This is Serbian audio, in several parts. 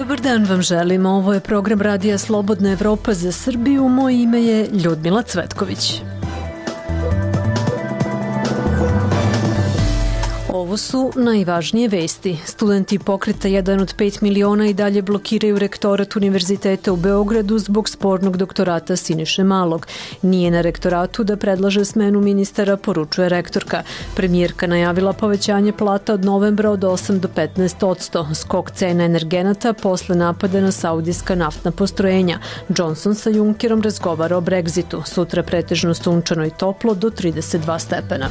Dobar dan vam želimo. Ovo je program Radija Slobodna Evropa za Srbiju. Moje ime je Ljudmila Cvetković. Ovo su najvažnije vesti. Studenti pokreta 1 od 5 miliona i dalje blokiraju rektorat Univerziteta u Beogradu zbog spornog doktorata Siniše Malog. Nije na rektoratu da predlaže smenu ministara, poručuje rektorka. Premijerka najavila povećanje plata od novembra od 8 do 15%. Skok cena energenata posle napada na saudijska naftna postrojenja. Johnson sa Junckerom razgovara o Brexitu. Sutra pretežno sunčano i toplo do 32 stepena.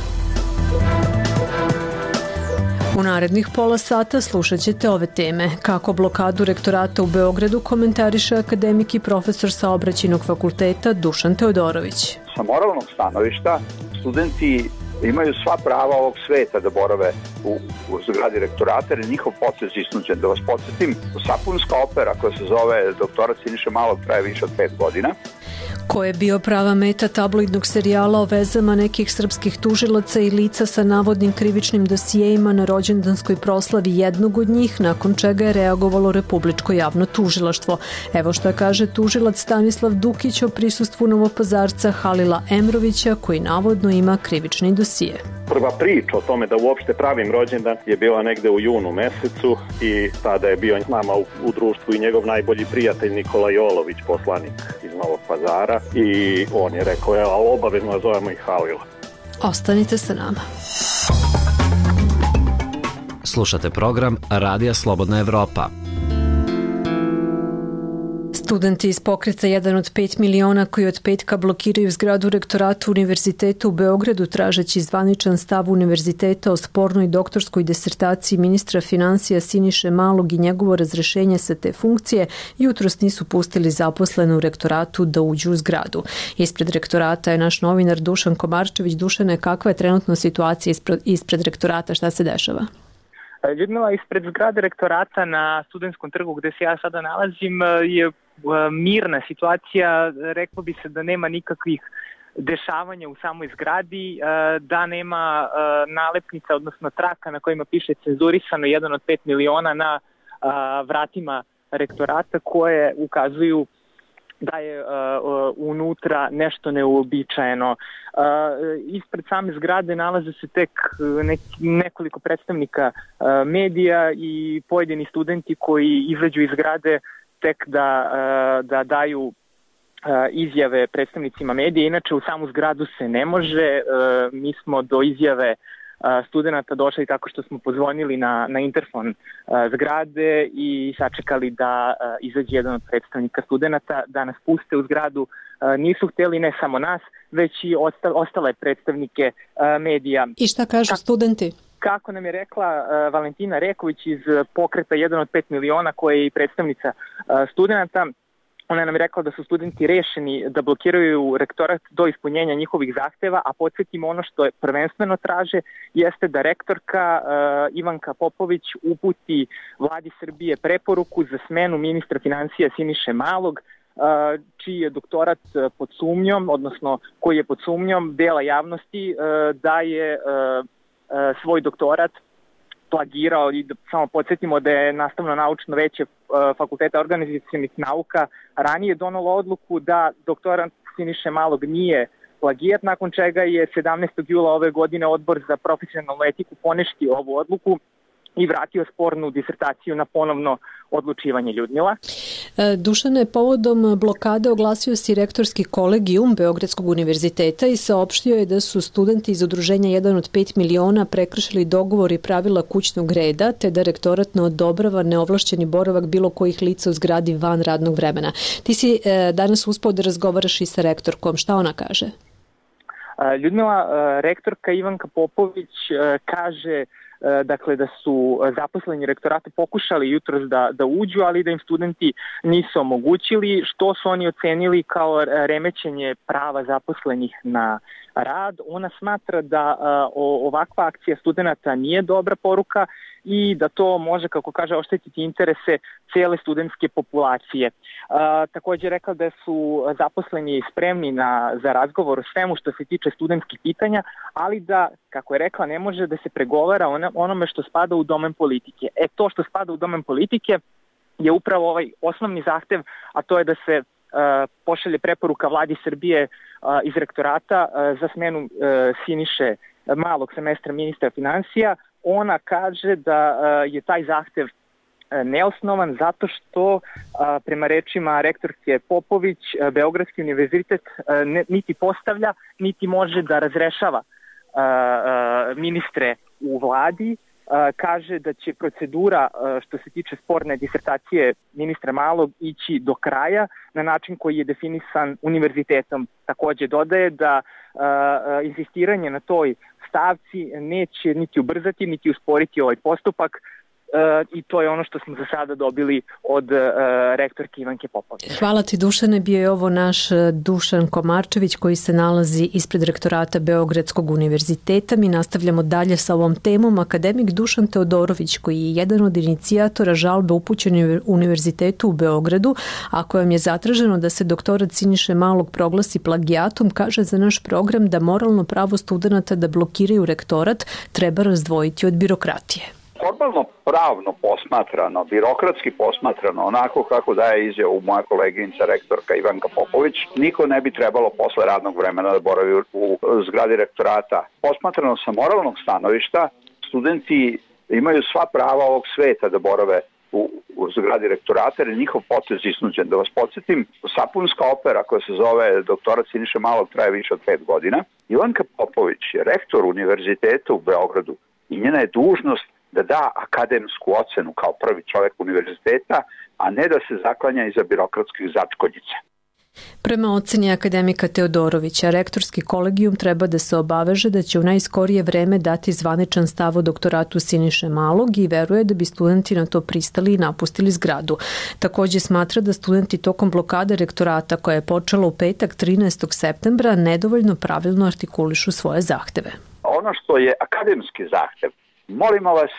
U narednih pola sata slušat ćete ove teme. Kako blokadu rektorata u Beogradu komentariše akademik i profesor Saobraćajnog fakulteta Dušan Teodorović. Sa moralnog stanovišta studenti imaju sva prava ovog sveta da borave u zgradi rektorata, jer je njihov proces isnuđen. Da vas podsjetim, sapunska opera koja se zove Doktorat Siniše Malog traje više od 5 godina. Ko je bio prava meta tabloidnog serijala o vezama nekih srpskih tužilaca i lica sa navodnim krivičnim dosijejima na rođendanskoj proslavi jednog od njih, nakon čega je reagovalo Republičko javno tužilaštvo. Evo šta kaže tužilac Stanislav Dukić o prisustvu Novopazarca Halila Emrovića, koji navodno ima krivični dosije. Prva priča o tome da uopšte pravim rođendan je bila negde u junu mesecu i tada je bio s nama u društvu i njegov najbolji prijatelj Nikola Jolović, poslanik iz Novog Pazara, i on je rekao, ali obavezno nazovemo i Halila. Ostanite sa nama. Slušate program Radija Slobodna Evropa. Studenti iz pokreta 1 od 5 miliona koji od petka blokiraju zgradu rektorata Univerziteta u Beogradu tražeći zvaničan stav univerziteta o spornoj doktorskoj disertaciji ministra finansija Siniše Malog i njegovo razrešenje sa te funkcije, jutros nisu pustili zaposlene u rektoratu da uđu u zgradu. Ispred rektorata je naš novinar Dušan Komarčević. Dušane, kakva je trenutno situacija ispred rektorata, šta se dešava? Ljudmila, ispred zgrade rektorata na Studentskom trgu gde se ja sada nalazim je mirna situacija, reklo bi se da nema nikakvih dešavanja u samoj zgradi, da nema nalepnica, odnosno traka na kojima piše cenzurisano 1 od 5 miliona na vratima rektorata koje ukazuju da je unutra nešto neuobičajeno. Ispred same zgrade nalaze se tek nekoliko predstavnika medija i pojedini studenti koji izađu iz zgrade tek da daju izjave predstavnicima medija. Inače u samu zgradu se ne može. Mi smo do izjave studenta došli tako što smo pozvonili na interfon zgrade i sačekali da izađe jedan od predstavnika studenta da nas puste u zgradu. Nisu hteli ne samo nas, već i ostale predstavnike medija. I šta kažu studenti? Kako nam je rekla Valentina Reković iz pokreta 1 od 5 miliona, koja je i predstavnica studenta, ona nam je rekla da su studenti rešeni da blokiraju rektorat do ispunjenja njihovih zahteva, a podsjetimo ono što je prvenstveno traže jeste da rektorka Ivanka Popović uputi vladi Srbije preporuku za smenu ministra finansija Siniše Malog, čiji je doktorat pod sumnjom, odnosno koji je pod sumnjom dela javnosti da je svoj doktorat plagirao. I samo podsjetimo da je Nastavno-naučno veće Fakulteta organizacionih nauka ranije donalo odluku da doktorant Siniše Malog nije plagijat, nakon čega je 17. jula ove godine Odbor za profesionalnu etiku poništio ovu odluku i vratio spornu disertaciju na ponovno odlučivanje. Ljudmila. Dušane, povodom blokade oglasio si rektorski kolegijum Beogradskog univerziteta i saopštio je da su studenti iz udruženja 1 od 5 miliona prekršili dogovor i pravila kućnog reda, te da rektorat ne odobrava neovlašćeni boravak bilo kojih lica u zgradi van radnog vremena. Ti si danas uspeo da razgovaraš i sa rektorkom. Šta ona kaže? Ljudmila, rektorka Ivanka Popović kaže dakle da su zaposleni rektorata pokušali jutros da uđu, ali da im studenti nisu omogućili, što su oni ocenili kao remećenje prava zaposlenih na rad. Ona smatra da ovakva akcija studenta nije dobra poruka i da to može, kako kaže, oštetiti interese cele studentske populacije. Također rekla da su zaposleni spremni za razgovor o svemu što se tiče studentskih pitanja, ali da, kako je rekla, ne može da se pregovara onome što spada u domen politike. To što spada u domen politike je upravo ovaj osnovni zahtev, a to je da se pošalje preporuka vladi Srbije iz rektorata za smenu Siniše Malog sa mesta ministra finansija. Ona kaže da je taj zahtev neosnovan zato što prema rečima rektorke Popović Beogradski univerzitet niti postavlja niti može da razrešava ministre u vladi. Kaže da će procedura što se tiče sporne disertacije ministra Malog ići do kraja na način koji je definisan univerzitetom. Takođe dodaje da insistiranje na toj stavci neće niti ubrzati niti usporiti ovaj postupak i to je ono što smo za sada dobili od rektorke Ivanke Popović. Hvala ti, Dušane. Bio je ovo naš Dušan Komarčević koji se nalazi ispred rektorata Beogradskog univerziteta. Mi nastavljamo dalje sa ovom temom. Akademik Dušan Teodorović, koji je jedan od inicijatora žalbe upućene Univerzitetu u Beogradu, a kojom je zatraženo da se doktorat Siniše Malog proglasi plagijatom, kaže za naš program da moralno pravo studenata da blokiraju rektorat treba razdvojiti od birokratije. Formalno pravno posmatrano, birokratski posmatrano, onako kako daje izjavu moja koleginica rektorka Ivanka Popović, niko ne bi trebalo posle radnog vremena da boravi u zgradi rektorata. Posmatrano sa moralnog stanovišta, studenti imaju sva prava ovog sveta da borave u zgradi rektorata, jer je njihov potez iznuđen. Da vas podsjetim, sapunska opera koja se zove doktorat Siniše Malog traje više od 5 godina. Ivanka Popović je rektor univerziteta u Beogradu i njena je dužnost da da akademsku ocenu kao prvi čovjek univerziteta, a ne da se zaklanja iza birokratskih začkoljica. Prema oceni akademika Teodorovića, rektorski kolegijum treba da se obaveže da će u najskorije vreme dati zvaničan stav o doktoratu Siniše Malog i veruje da bi studenti na to pristali i napustili zgradu. Takođe smatra da studenti tokom blokade rektorata koja je počela u petak 13. septembra nedovoljno pravilno artikulišu svoje zahteve. Ono što je akademski zahtev, molimo vas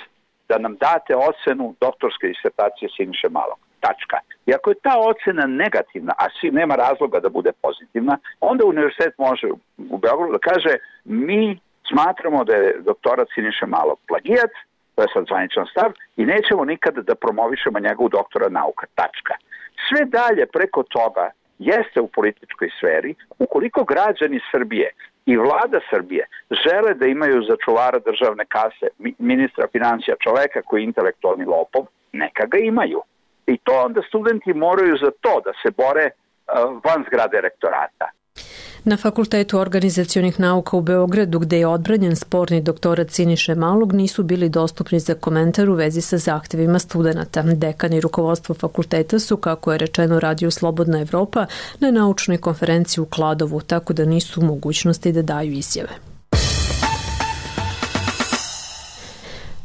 da nam date ocenu doktorske disertacije Siniše Malog. Tačka. I ako je ta ocena negativna, a nema razloga da bude pozitivna, onda univerzitet može u Beogradu da kaže mi smatramo da je doktorat Siniše Malog plagijat, to je sad zvaničan stav, i nećemo nikada da promovišemo njegovu doktora nauka. Tačka. Sve dalje preko toga jeste u političkoj sferi, ukoliko građani Srbije i vlada Srbije žele da imaju za čuvara državne kase ministra finansija, čoveka koji je intelektualni lopov, neka ga imaju. I to onda studenti moraju za to da se bore van zgrade rektorata. Na Fakultetu organizacionih nauka u Beogradu, gde je odbranjen sporni doktorat Siniše Malog, nisu bili dostupni za komentar u vezi sa zahtevima studenata. Dekan i rukovodstvo fakulteta su, kako je rečeno Radio Slobodna Evropa, na naučnoj konferenciji u Kladovu, tako da nisu u mogućnosti da daju izjave.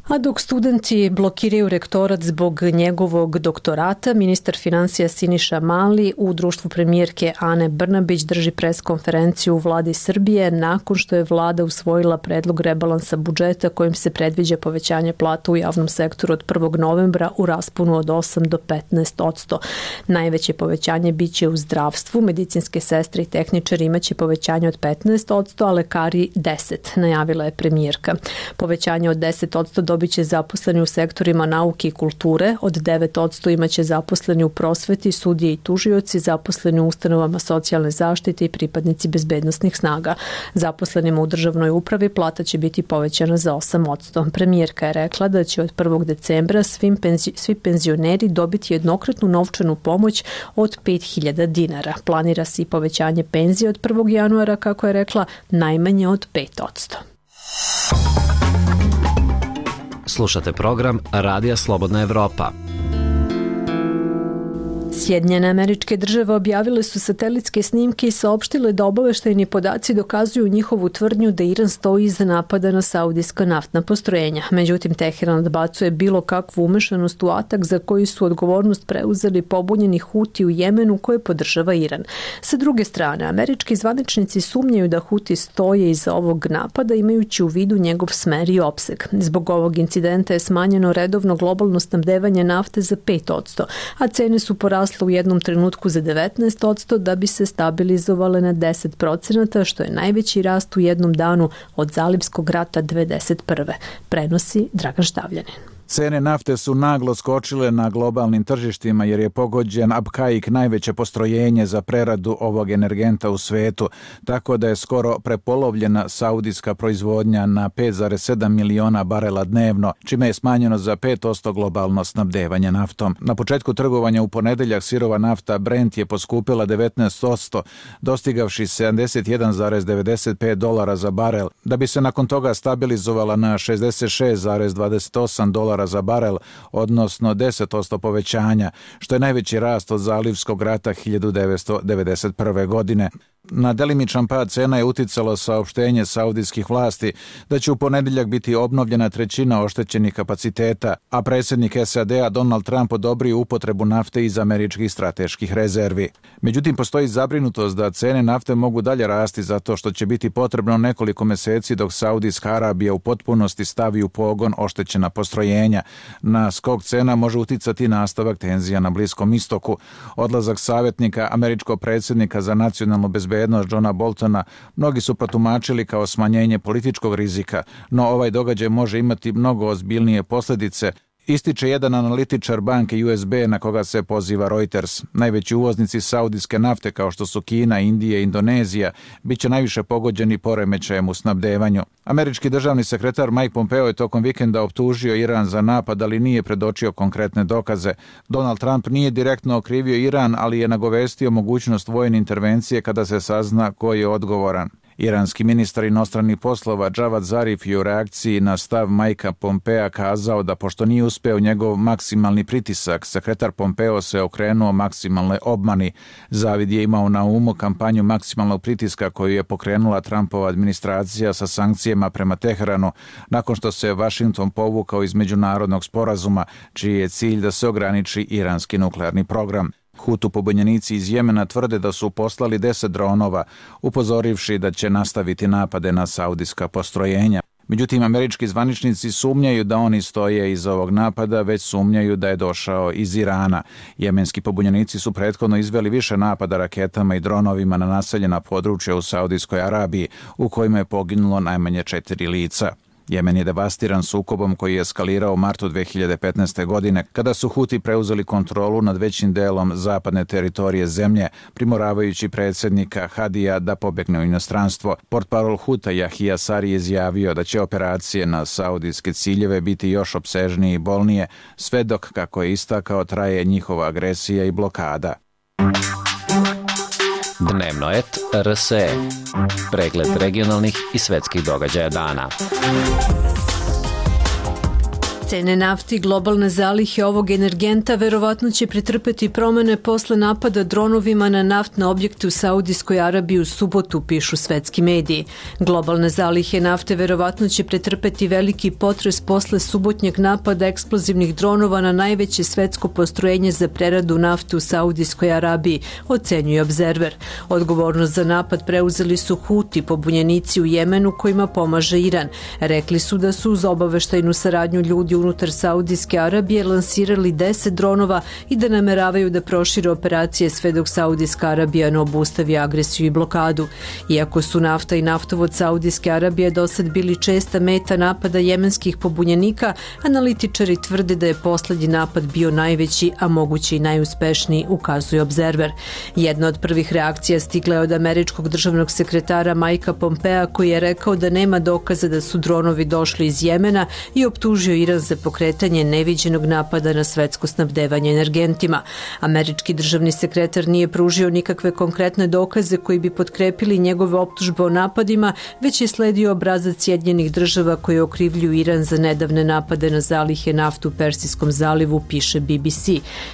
A dok studenti blokiraju rektorat zbog njegovog doktorata, ministar finansija Siniša Mali u društvu premijerke Ane Brnabić drži preskonferenciju u vladi Srbije nakon što je vlada usvojila predlog rebalansa budžeta kojim se predviđa povećanje plata u javnom sektoru od 1. novembra u rasponu od 8 do 15%. Najveće povećanje biće u zdravstvu, medicinske sestre i tehničari imaće povećanje od 15%, a lekari 10%, najavila je premijerka. Povećanje od 10% dobiće zaposleni u sektorima nauke i kulture, od 9% imaće zaposleni u prosveti, sudije i tužioci, zaposleni u ustanovama socijalne zaštite i pripadnici bezbednosnih snaga. Zaposlenima u državnoj upravi plata će biti povećana za 8%. Premijerka je rekla da će od 1. decembra svi penzioneri dobiti jednokratnu novčanu pomoć od 5.000 dinara. Planira se i povećanje penzije od 1. januara, kako je rekla, najmanje od 5%. Slušate program Radija Slobodna Evropa. Sjedinjene Američke Države objavile su satelitske snimke i saopštile da obaveštajni podaci dokazuju njihovu tvrdnju da Iran stoji iza napada na saudijska naftna postrojenja. Međutim, Teheran odbacuje bilo kakvu umešanost u atak za koji su odgovornost preuzeli pobunjeni Huti u Jemenu koje podržava Iran. Sa druge strane, američki zvaničnici sumnjaju da Huti stoje iza ovog napada imajući u vidu njegov smer i opseg. Zbog ovog incidenta je smanjeno redovno globalno snabdevanje nafte za 5%, a cene su porasle u jednom trenutku za 19% da bi se stabilizovale na 10%, što je najveći rast u jednom danu od Zalivskog rata 1991. Prenosi Dragan Štavljanin. Cene nafte su naglo skočile na globalnim tržištima jer je pogođen Abqaiq, najveće postrojenje za preradu ovog energenta u svetu, tako da je skoro prepolovljena saudijska proizvodnja na 5,7 miliona barela dnevno, čime je smanjeno za 5% globalno snabdevanje naftom. Na početku trgovanja u ponedeljak sirova nafta Brent je poskupila 19%, dostigavši $71,95 za barel, da bi se nakon toga stabilizovala na $66,28 za barel, odnosno 10% povećanja, što je najveći rast od zalivskog rata 1991. godine. Na delimičan pad cena je uticalo saopštenje saudijskih vlasti da će u ponedeljak biti obnovljena trećina oštećenih kapaciteta, a predsjednik SAD-a Donald Trump odobrio upotrebu nafte iz američkih strateških rezervi. Međutim, postoji zabrinutost da cene nafte mogu dalje rasti zato što će biti potrebno nekoliko meseci dok Saudijska Arabija u potpunosti stavi u pogon oštećena postrojenja. Na skok cena može uticati nastavak tenzija na Bliskom istoku. Odlazak savjetnika američkog predsjednika za nacionalnu bezbednost Johna Boltona mnogi su protumačili kao smanjenje političkog rizika, no ovaj događaj može imati mnogo ozbiljnije posljedice, ističe jedan analitičar banke USB na koga se poziva Reuters. Najveći uvoznici saudijske nafte kao što su Kina, Indija i Indonezija bit će najviše pogođeni poremećajem u snabdevanju. Američki državni sekretar Mike Pompeo je tokom vikenda optužio Iran za napad, ali nije predočio konkretne dokaze. Donald Trump nije direktno okrivio Iran, ali je nagovestio mogućnost vojne intervencije kada se sazna ko je odgovoran. Iranski ministar inostranih poslova Javad Zarif je u reakciji na stav Mikea Pompea kazao da pošto nije uspeo njegov maksimalni pritisak, sekretar Pompeo se okrenuo maksimalnoj obmani. Zavid je imao na umu kampanju maksimalnog pritiska koju je pokrenula Trumpova administracija sa sankcijama prema Teheranu nakon što se Washington povukao iz međunarodnog sporazuma, čiji je cilj da se ograniči iranski nuklearni program. Hutu pobunjenici iz Jemena tvrde da su poslali 10 dronova, upozorivši da će nastaviti napade na saudijska postrojenja. Međutim, američki zvaničnici sumnjaju da oni stoje iza ovog napada, već sumnjaju da je došao iz Irana. Jemenski pobunjenici su prethodno izveli više napada raketama i dronovima na naseljena područja u Saudijskoj Arabiji, u kojima je poginulo najmanje 4 lica. Jemen je devastiran sukobom koji je eskalirao u martu 2015. godine, kada su Huti preuzeli kontrolu nad većim delom zapadne teritorije zemlje, primoravajući predsjednika Hadija da pobegne u inostranstvo. Portparol Huta Jahija Sari je izjavio da će operacije na saudijske ciljeve biti još opsežnije i bolnije, sve dok, kako je istakao, traje njihova agresija i blokada. Dnevno et RSE. Pregled regionalnih i svetskih događaja dana. Cene nafti i globalne zalihe ovog energenta verovatno će pretrpeti promene posle napada dronovima na naftne objekte u Saudijskoj Arabiji u subotu, pišu svetski mediji. Globalne zalihe nafte verovatno će pretrpeti veliki potres posle subotnjeg napada eksplozivnih dronova na najveće svetsko postrojenje za preradu nafte u Saudijskoj Arabiji, ocenjuje Observer. Odgovornost za napad preuzeli su Huti, pobunjenici u Jemenu kojima pomaže Iran. Rekli su da su uz obaveštajnu saradnju ljudi unutar Saudijske Arabije lansirali 10 dronova i da nameravaju da prošire operacije sve dok Saudijska Arabija ne obustavi agresiju i blokadu. Iako su nafta i naftovod Saudijske Arabije dosad bili česta meta napada jemenskih pobunjenika, analitičari tvrde da je poslednji napad bio najveći, a moguće i najuspešniji, ukazuje Observer. Jedna od prvih reakcija stigla je od američkog državnog sekretara Mikea Pompea, koji je rekao da nema dokaza da su dronovi došli iz Jemena i optužio Iran za pokretanje neviđenog napada na svetsko snabdevanje energentima. Američki državni sekretar nije pružio nikakve konkretne dokaze koji bi potkrepili njegove optužbe o napadima, već je sledio obrazac Sjedinjenih država koji okrivljuju Iran za nedavne napade na zalihe naftu u Persijskom zalivu, piše BBC.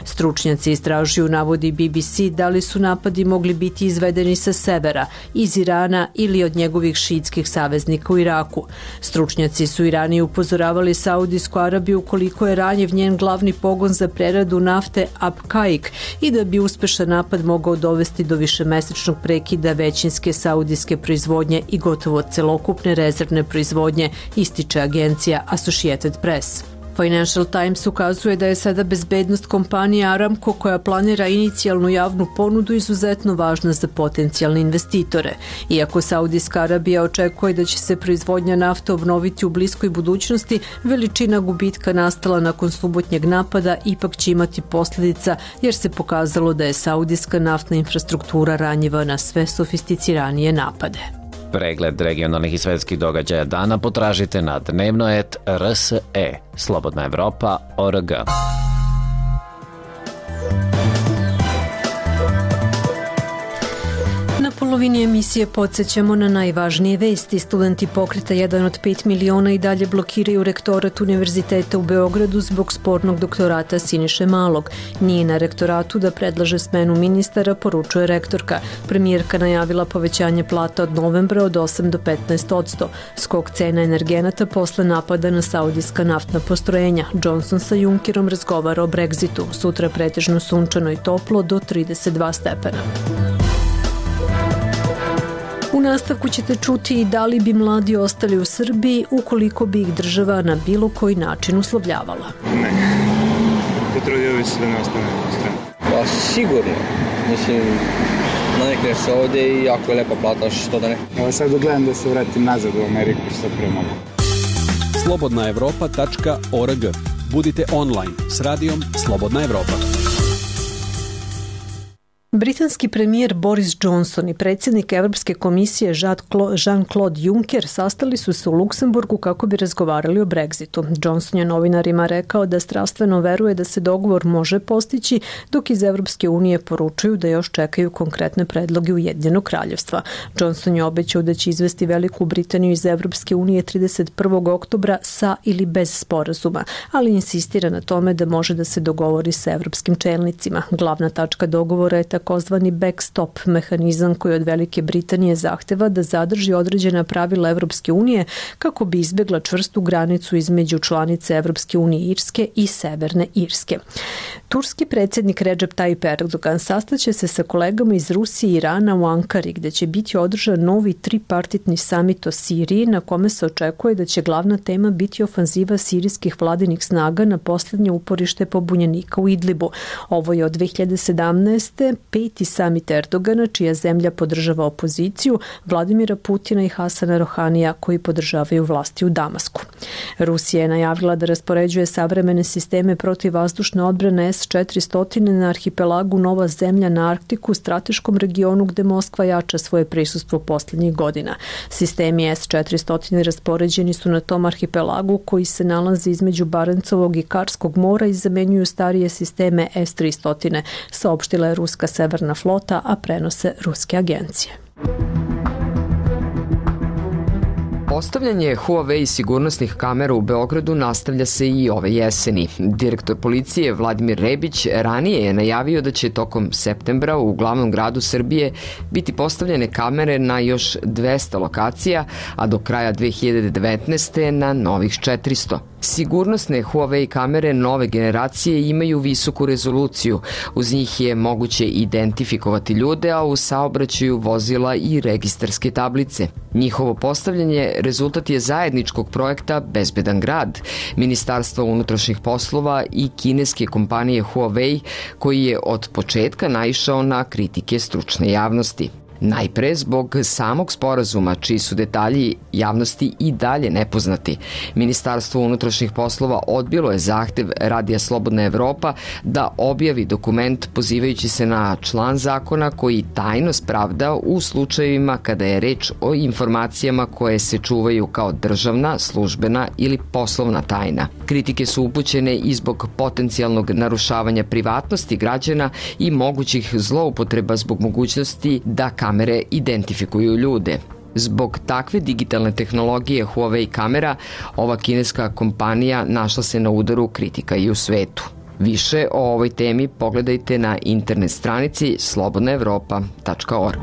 Stručnjaci istražuju, navodi BBC, da li su napadi mogli biti izvedeni sa severa, iz Irana ili od njegovih šiitskih saveznika u Iraku. Stručnjaci su Irani upozoravali Saudijsku Arabiju koliko je ranjiv njen glavni pogon za preradu nafte Abqaiq i da bi uspešan napad mogao dovesti do višemesečnog prekida većinske saudijske proizvodnje i gotovo celokupne rezervne proizvodnje, ističe agencija Associated Press. Financial Times ukazuje da je sada bezbednost kompanije Aramco, koja planira inicijalnu javnu ponudu, izuzetno važna za potencijalne investitore. Iako Saudijska Arabija očekuje da će se proizvodnja nafte obnoviti u bliskoj budućnosti, veličina gubitka nastala nakon subotnjeg napada ipak će imati posljedica, jer se pokazalo da je saudijska naftna infrastruktura ranjiva na sve sofisticiranije napade. Pregled regionalnih i svetskih događaja dana potražite na dnevno.rse, Slobodna Evropa.org. Na polovini emisije podsjećamo na najvažnije vesti. Studenti pokreta 1 od 5 miliona i dalje blokiraju rektorat Univerziteta u Beogradu zbog spornog doktorata Siniše Malog. Nije na rektoratu da predlaže smenu ministara, poručuje rektorka. Premijerka najavila povećanje plata od novembra od 8 do 15%. Skok cena energenata posle napada na saudijska naftna postrojenja. Johnson sa Junckerom razgovara o Brexitu. Sutra pretežno sunčano i toplo do 32 stepena. U nastavku ćete čuti i da li bi mladi ostali u Srbiji ukoliko bi ih država na bilo koji način uslovljavala. Ne, potrudio bi se da ne ostane. Pa sigurno, mislim, navikneš se ovdje i jako je lepa plata, što da ne. Evo sad gledam da se vratim nazad u Ameriku što pre mogu. slobodnaevropa.org. Budite online s radijom Slobodna Evropa. Britanski premijer Boris Johnson i predsjednik Evropske komisije Jean-Claude Juncker sastali su se u Luksemburgu kako bi razgovarali o Brexitu. Johnson je novinarima rekao da strastveno veruje da se dogovor može postići, dok iz Evropske unije poručuju da još čekaju konkretne predloge Ujedinjenog kraljevstva. Johnson je obećao da će izvesti Veliku Britaniju iz Evropske unije 31. oktobra sa ili bez sporazuma, ali insistira na tome da može da se dogovori sa evropskim čelnicima. Glavna tačka dogovora je takozvani backstop mehanizam koji od Velike Britanije zahteva da zadrži određena pravila Evropske unije kako bi izbjegla čvrstu granicu između članice Evropske unije Irske i Severne Irske. Turski predsjednik Recep Tayyip Erdogan sastaće se sa kolegama iz Rusije i Irana u Ankari, gde će biti održan novi tripartitni samit o Siriji, na kome se očekuje da će glavna tema biti ofanziva sirijskih vladinih snaga na posljednje uporište pobunjenika u Idlibu. Ovo je od 2017. peti samit Erdogana, čija zemlja podržava opoziciju, Vladimira Putina i Hasana Rohanija, koji podržavaju vlasti u Damasku. Rusija je najavila da raspoređuje savremene sisteme protivvazdušne odbrane S-400 na arhipelagu Nova zemlja na Arktiku, strateškom regionu gde Moskva jača svoje prisustvo posljednjih godina. Sistemi S-400 raspoređeni su na tom arhipelagu koji se nalazi između Barencovog i Karskog mora i zamenjuju starije sisteme S-300, saopštila je ruska severna flota, a prenose ruske agencije. Postavljanje Huawei sigurnosnih kamera u Beogradu nastavlja se i ove jeseni. Direktor policije Vladimir Rebić ranije je najavio da će tokom septembra u glavnom gradu Srbije biti postavljene kamere na još 200 lokacija, a do kraja 2019. na novih 400. Sigurnosne Huawei kamere nove generacije imaju visoku rezoluciju. Uz njih je moguće identifikovati ljude, a u saobraćaju vozila i registarske tablice. Njihovo postavljanje rezultat je zajedničkog projekta Bezbedan grad, Ministarstva unutrašnjih poslova i kineske kompanije Huawei, koji je od početka naišao na kritike stručne javnosti. Najpre zbog samog sporazuma, čiji su detalji javnosti i dalje nepoznati. Ministarstvo unutrašnjih poslova odbilo je zahtev Radija Slobodna Evropa da objavi dokument pozivajući se na član zakona koji tajnost pravda u slučajevima kada je reč o informacijama koje se čuvaju kao državna, službena ili poslovna tajna. Kritike su upućene i zbog potencijalnog narušavanja privatnosti građana i mogućih zloupotreba zbog mogućnosti da kamere identifikuju ljude. Zbog takve digitalne tehnologije Huawei kamera, ova kineska kompanija našla se na udaru kritika i u svetu. Više o ovoj temi pogledajte na internet stranici slobodnaevropa.org.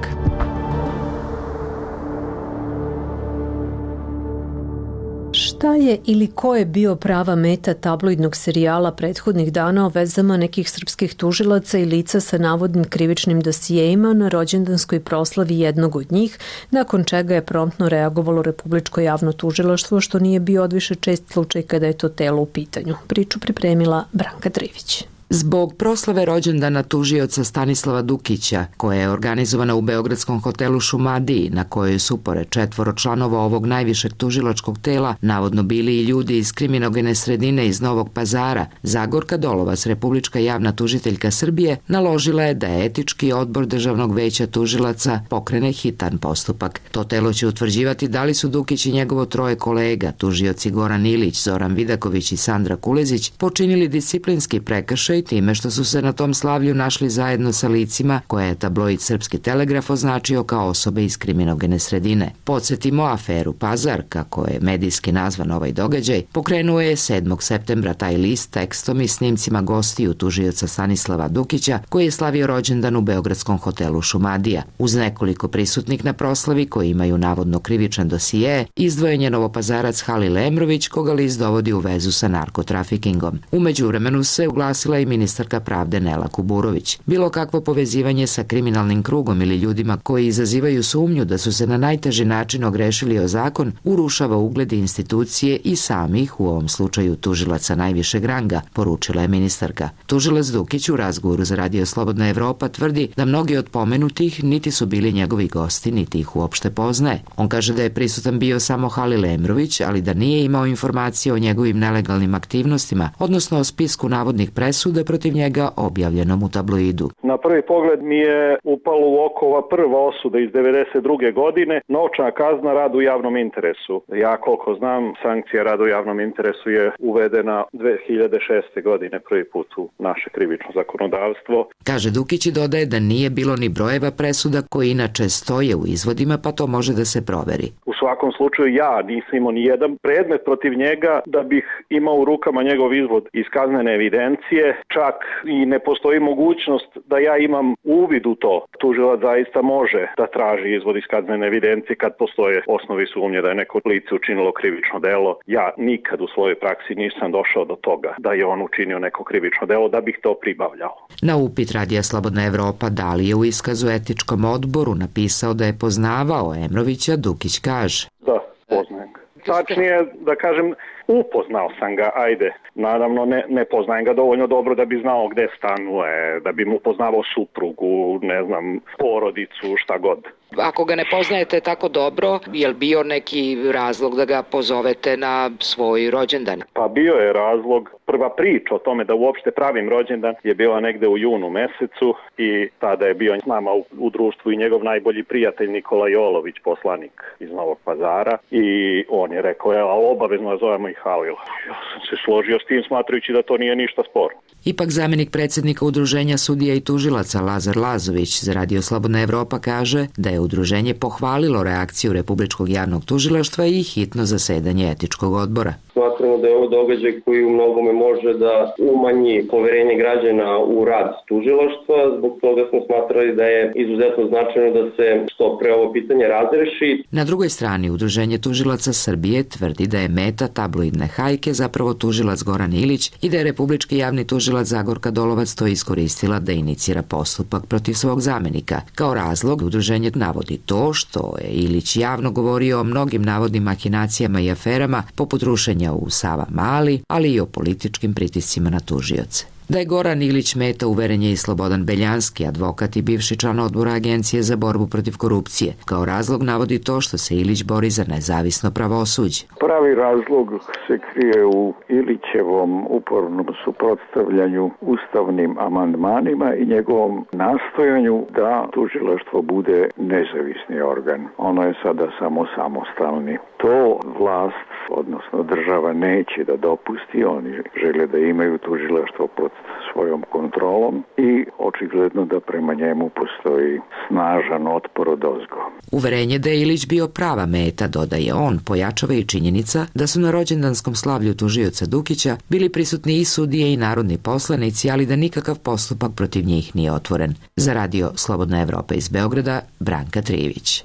Šta je ili ko je bio prava meta tabloidnog serijala prethodnih dana o vezama nekih srpskih tužilaca i lica sa navodnim krivičnim dosijejima na rođendanskoj proslavi jednog od njih, nakon čega je promptno reagovalo Republičko javno tužilaštvo, što nije bio odviše čest slučaj kada je to telo u pitanju. Priču pripremila Branka Trivić. Zbog proslave rođendana tužioca Stanislava Dukića, koja je organizovana u beogradskom hotelu Šumadiji, na kojoj su pored 4 članova ovog najvišeg tužilačkog tela navodno bili i ljudi iz kriminogene sredine iz Novog Pazara, Zagorka Dolovac, Republička javna tužiteljka Srbije, naložila je da etički odbor Državnog veća tužilaca pokrene hitan postupak. To telo će utvrđivati da li su Dukić i njegovo 3 kolega, tužioci Goran Ilić, Zoran Vidaković i Sandra Kulezić, počinili disciplinski prekršaj time što su se na tom slavlju našli zajedno sa licima koje je tabloid Srpski telegraf označio kao osobe iz kriminogene sredine. Podsjetimo, aferu Pazar, kako je medijski nazvan ovaj događaj, pokrenuo je 7. septembra taj list tekstom i snimcima gostiju tužioca Stanislava Dukića, koji je slavio rođendan u beogradskom hotelu Šumadija. Uz nekoliko prisutnih na proslavi koji imaju navodno krivičan dosije, izdvojen je novopazarac Halil Emrović, koga list dovodi u vezu sa narkotrafikingom. U međuvremenu se uglasila i ministarka pravde Nela Kuburović. Bilo kakvo povezivanje sa kriminalnim krugom ili ljudima koji izazivaju sumnju da su se na najteži način ogrešili o zakon, urušava ugled institucije i samih, u ovom slučaju tužilaca najvišeg ranga, poručila je ministarka. Tužilac Dukić u razgovoru za Radio Slobodna Evropa tvrdi da mnogi od pomenutih niti su bili njegovi gosti, niti ih uopšte poznaje. On kaže da je prisutan bio samo Halil Emrović, ali da nije imao informacije o njegovim nelegalnim aktivnostima, odnosno o spisku navodnih presuda protiv njega objavljenom u tabloidu. Na prvi pogled mi je upalo u oko ova prva osuda iz 92. godine, novčana kazna rad u javnom interesu. Ja koliko znam, sankcija rad u javnom interesu je uvedena 2006. godine prvi put u naše krivično zakonodavstvo. Kaže Dukić i dodaje da nije bilo ni brojeva presuda koji inače stoje u izvodima, pa to može da se proveri. U svakom slučaju ja nisam imao ni jedan predmet protiv njega da bih imao u rukama njegov izvod iz kaznene evidencije, čak i ne postoji mogućnost da ja imam uvid u to. Tužilac zaista može da traži izvod iz kaznene evidencije kad postoje osnovi sumnje da je neko lice učinilo krivično delo. Ja nikad u svojoj praksi nisam došao do toga da je on učinio neko krivično delo da bih to pribavljao. Na upit Radija Slobodna Evropa da li je u iskazu etičkom odboru napisao da je poznavao Emrovića, Dukić kaže: Da, poznajem ga. Tačnije da kažem, upoznao sam ga, ajde. Naravno, ne poznajem ga dovoljno dobro da bi znao gde stanuje, da bi mu poznavao suprugu, ne znam, porodicu, šta god. Ako ga ne poznajete tako dobro, je li bio neki razlog da ga pozovete na svoj rođendan? Pa bio je razlog. Prva priča o tome da uopšte pravim rođendan je bila negde u junu mesecu i tada je bio s nama u društvu i njegov najbolji prijatelj Nikola Jolović, poslanik iz Novog Pazara, i on je rekao, obavezno nazovemo i Halila. Ja sam se složio s tim smatrajući da to nije ništa sporno. Ipak zamenik predsjednika Udruženja sudija i tužilaca Lazar Lazović za Radio Slobodna Evropa kaže da je udruženje pohvalilo reakciju Republičkog javnog tužilaštva i hitno zasedanje etičkog odbora. Smatramo da je ovo događaj koji u mnogome može da umanji poverenje građana u rad tužilaštva. Zbog toga smo smatrali da je izuzetno značajno da se što pre ovo pitanje razreši. Na drugoj strani, Udruženje tužilaca Srbije tvrdi da je meta tabloidne hajke zapravo tužilac Goran Ilić i da je Republički javni tužilac Zagorka Dolovac to iskoristila da inicira postupak protiv svog zamenika. Kao razlog, udruženje navodi to što je Ilić javno govorio o mnogim navodnim mahinacijama i aferama, poput rušenja u Savamali, ali i o političkim pritiscima na tužioce. Da je Goran Ilić meta, uveren je i Slobodan Beljanski, advokat i bivši član odbora Agencije za borbu protiv korupcije. Kao razlog navodi to što se Ilić bori za nezavisno pravosuđe. Pravi razlog se krije u Ilićevom upornom suprotstavljanju ustavnim amandmanima i njegovom nastojanju da tužilaštvo bude nezavisni organ. Ono je sada samo samostalni. To vlast, odnosno država, neće da dopusti. Oni žele da imaju tužilaštvo pod svojom kontrolom i očigledno da prema njemu postoji snažan otpor odozgo. Uverenje da je Ilić bio prava meta, dodaje on, pojačava i činjenica da su na rođendanskom slavlju tužioca Dukića bili prisutni i sudije i narodni poslanici, ali da nikakav postupak protiv njih nije otvoren. Za Radio Slobodna Evropa iz Beograda, Branka Trivić.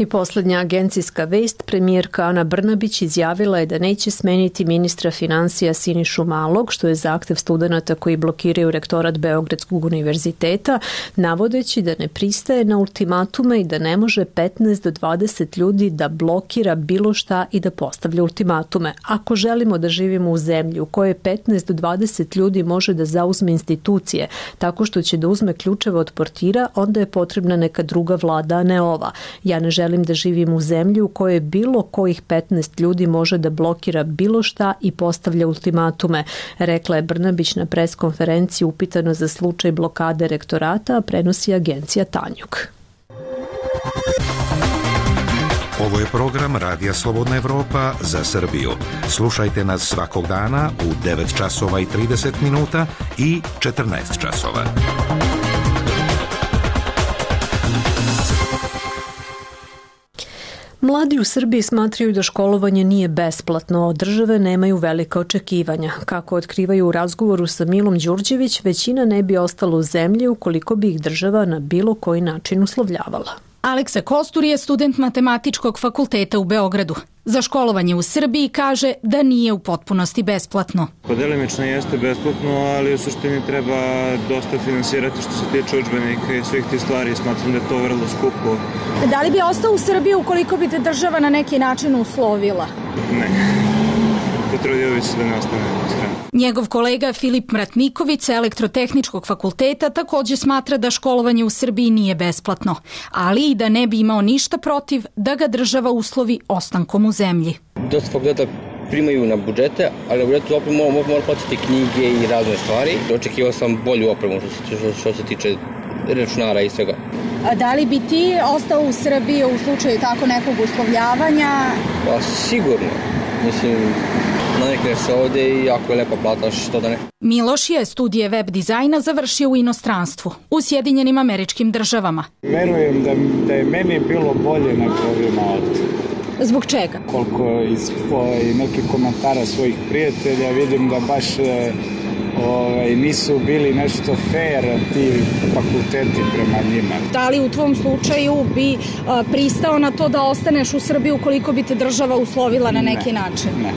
I poslednja agencijska vest, premijerka Ana Brnabić izjavila je da neće smeniti ministra finansija Sinišu Malog, što je zahtev studenata koji blokiraju rektorat Beogradskog univerziteta, navodeći da ne pristaje na ultimatume i da ne može 15 do 20 ljudi da blokira bilo šta i da postavlja ultimatume. Ako želimo da živimo u zemlji u kojoj 15 do 20 ljudi može da zauzme institucije tako što će da uzme ključeve od portira, onda je potrebna neka druga vlada, a ne ova. Ja ne želim da živim u zemlji u kojoj bilo kojih 15 ljudi može da blokira bilo šta i postavlja ultimatume, rekla je Brnabić na preskonferenciji upitano za slučaj blokade rektorata, a prenosi agencija Tanjug. Ovo je program Radija Slobodna Evropa za Srbiju. Slušajte nas svakog dana u 9 časova i 30 minuta i 14 časova. Mladi u Srbiji smatraju da školovanje nije besplatno, a od države nemaju velika očekivanja. Kako otkrivaju u razgovoru sa Milom Đurđević, većina ne bi ostala u zemlji ukoliko bi ih država na bilo koji način uslovljavala. Aleksa Kostur je student Matematičkog fakulteta u Beogradu. Za školovanje u Srbiji kaže da nije u potpunosti besplatno. Delimično jeste besplatno, ali u suštini treba dosta finansirati što se tiče udžbenika i svih tih stvari. Smatram da je to vrlo skupo. Da li bi ostao u Srbiji ukoliko bi te država na neki način uslovila? Ne. Potrudio bi se da ne ostane u stranu. Njegov kolega Filip Mratniković sa Elektrotehničkog fakulteta takođe smatra da školovanje u Srbiji nije besplatno, ali i da ne bi imao ništa protiv da ga država uslovi ostankom u zemlji. Dosta fakulteta primaju na budžete, ali na budžetu opet mora platiti knjige i razne stvari. Očekivao sam bolju opremu što se tiče računara i svega. A da li bi ti ostao u Srbiji u slučaju tako nekog uslovljavanja? Pa sigurno. Mislim, navikneš se ovde i jako je lepa plata, što da ne. Miloš je studije web dizajna završio u inostranstvu, u Sjedinjenim Američkim Državama. Verujem da je meni bilo bolje nego ovima ovde. Zbog čega? Koliko iz nekih komentara svojih prijatelja vidim da baš nisu bili nešto fair ti fakulteti prema njima. Da li u tvom slučaju bi pristao na to da ostaneš u Srbiji ukoliko bi te država uslovila na neki način? Ne.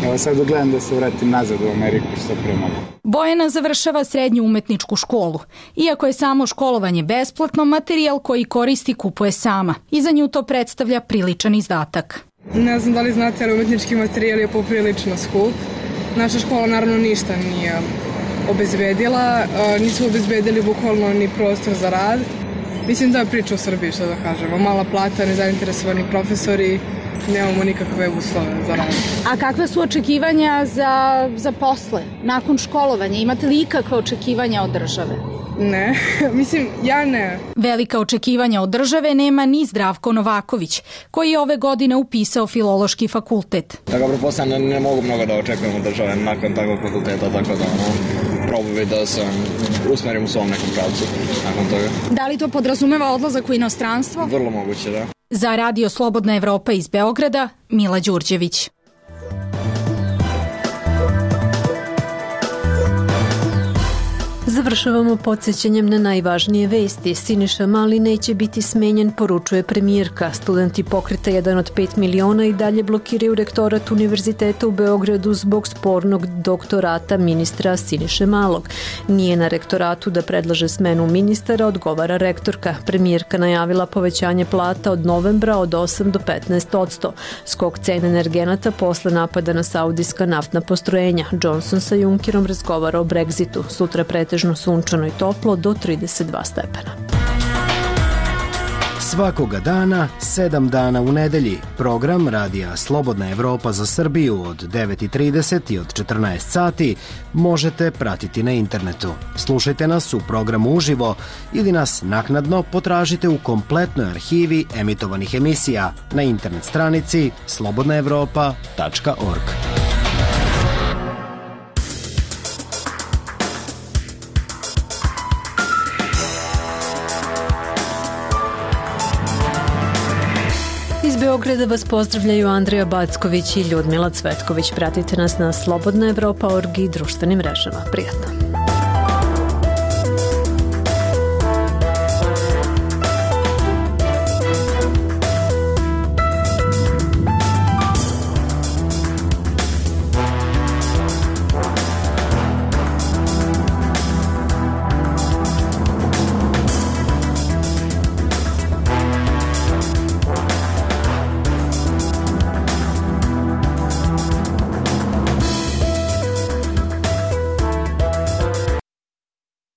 Evo sad gledam da se vratim nazad u Ameriku što pre mogu. Bojana završava srednju umetničku školu. Iako je samo školovanje besplatno, materijal koji koristi kupuje sama. I za nju to predstavlja priličan izdatak. Ne znam da li znate, ali umetnički materijal je poprilično skup. Naša škola naravno ništa nije obezbedila. Nismo obezbedili bukvalno ni prostor za rad. Mislim da je priča u Srbiji, što da kažemo. Mala plata, nezainteresovani profesori, nemamo nikakve uslove za rad. A kakve su očekivanja za posle, nakon školovanja? Imate li ikakve očekivanja od države? Ne, mislim, ja ne. Velika očekivanja od države nema ni Zdravko Novaković, koji je ove godine upisao Filološki fakultet. Tako pretpostavljam ne mogu mnogo da očekujem od države nakon takvog fakulteta, tako da probujem da se usmerim u svom nekom pravcu nakon toga. Da li to podrazumeva odlazak u inostranstvo? Vrlo moguće, da. Za Radio Slobodna Evropa iz Beograda, Mila Đurđević. Završavamo podsjećanjem na najvažnije vesti. Siniša Mali neće biti smenjen, poručuje premijerka. Studenti pokreta 1 od 5 miliona i dalje blokiraju rektorat Univerziteta u Beogradu zbog spornog doktorata ministra Siniše Malog. Nije na rektoratu da predlaže smenu ministara, odgovara rektorka. Premijerka najavila povećanje plata od novembra od 8 do 15%. Skok cena energenata posle napada na saudijska naftna postrojenja. Johnson sa Junckerom razgovara o Brexitu. Sutra pretežno sunčano i toplo do 32 stepena. Svakoga dana, 7 dana u nedelji. Program Radija Slobodna Evropa za Srbiju od 9:30 i od 14 sati možete pratiti na internetu. Slušajte nas u programu uživo ili nas naknadno potražite u kompletnoj arhivi emitovanih emisija na internet stranici slobodnaevropa.org. Iz Beograda vas pozdravljaju Andreja Backović i Ljudmila Cvetković. Pratite nas na slobodnaevropa.org i društvenim mrežama. Prijatno.